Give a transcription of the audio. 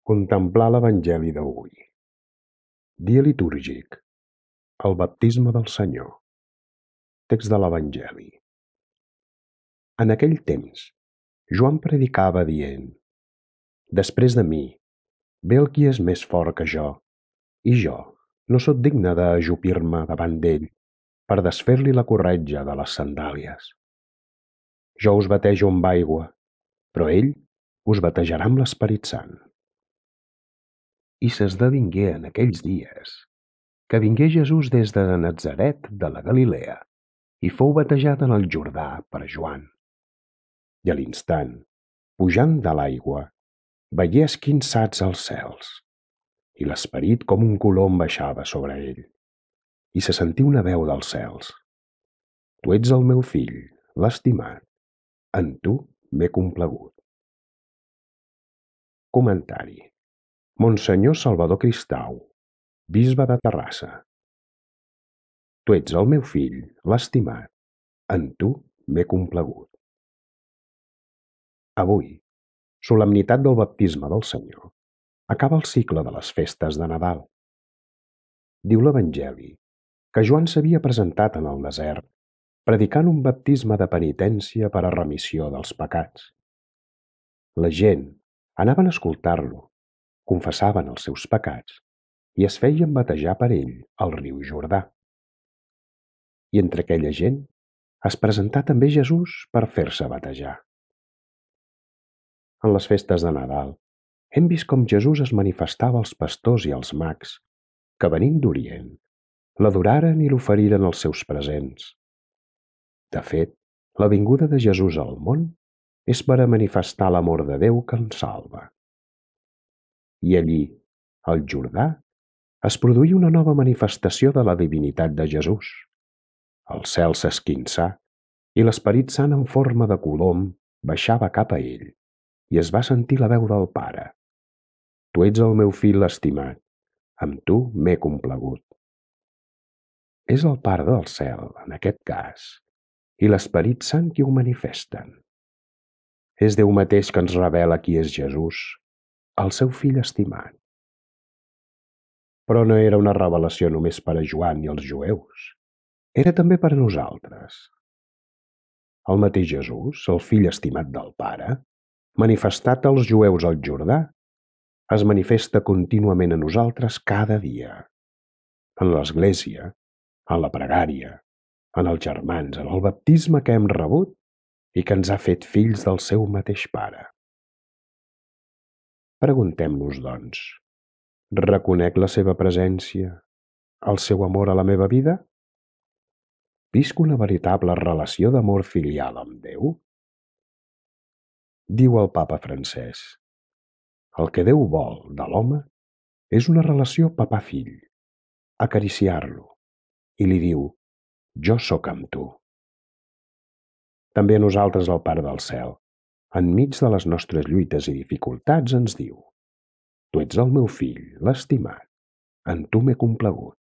Contemplar l'Evangeli d'avui. Dia litúrgic. El baptisme del Senyor. Text de l'Evangeli. En aquell temps, Joan predicava dient: Després de mi ve el qui és més fort que jo, i jo no sóc digne d'ajupir-me davant d'ell per desfer-li la corretja de les sandàlies. Jo us batejo amb aigua, però ell us batejarà amb l'Esperit Sant. I s'esdevingué en aquells dies que vingué Jesús des de Natzaret de la Galilea i fou batejat en el Jordà per Joan. I a l'instant, pujant de l'aigua, veié esquinçats els cels, i l'Esperit com un colom baixava sobre ell. I se sentí una veu dels cels: Tu ets el meu fill, l'estimat, en tu m'he complagut. Comentari. Monsenyor Salvador Cristau, bisbe de Terrassa. Tu ets el meu fill, l'estimat, en tu m'he complagut. Avui, solemnitat del baptisme del Senyor, acaba el cicle de les festes de Nadal. Diu l'Evangeli que Joan s'havia presentat en el desert predicant un baptisme de penitència per a remissió dels pecats. La gent anaven a escoltar-lo, confessaven els seus pecats i es feien batejar per ell al riu Jordà. I entre aquella gent es presentà també Jesús per fer-se batejar. En les festes de Nadal hem vist com Jesús es manifestava als pastors i als mags que, venint d'Orient, l'adoraren i l'oferiren els seus presents. De fet, la vinguda de Jesús al món és per a manifestar l'amor de Déu que ens salva. I allí, al Jordà, es produí una nova manifestació de la divinitat de Jesús. El cel s'esquinçà i l'Esperit Sant en forma de colom baixava cap a ell i es va sentir la veu del Pare: Tu ets el meu fill estimat, amb tu m'he complagut. És el Pare del cel, en aquest cas, i l'Esperit Sant qui ho manifesten. És Déu mateix que ens revela qui és Jesús, el seu fill estimat. Però no era una revelació només per a Joan i els jueus. Era també per a nosaltres. El mateix Jesús, el fill estimat del Pare, manifestat als jueus al Jordà, es manifesta contínuament a nosaltres cada dia. En l'Església, en la pregària, en els germans, en el baptisme que hem rebut i que ens ha fet fills del seu mateix Pare. Preguntem-nos, doncs, reconec la seva presència, el seu amor a la meva vida? Visc una veritable relació d'amor filial amb Déu? Diu el Papa Francès: el que Déu vol de l'home és una relació papà-fill, acariciar-lo, i li diu: jo sóc amb tu. També a nosaltres el Pare del cel, enmig de les nostres lluites i dificultats, ens diu: tu ets el meu fill, l'estimat, en tu m'he complagut.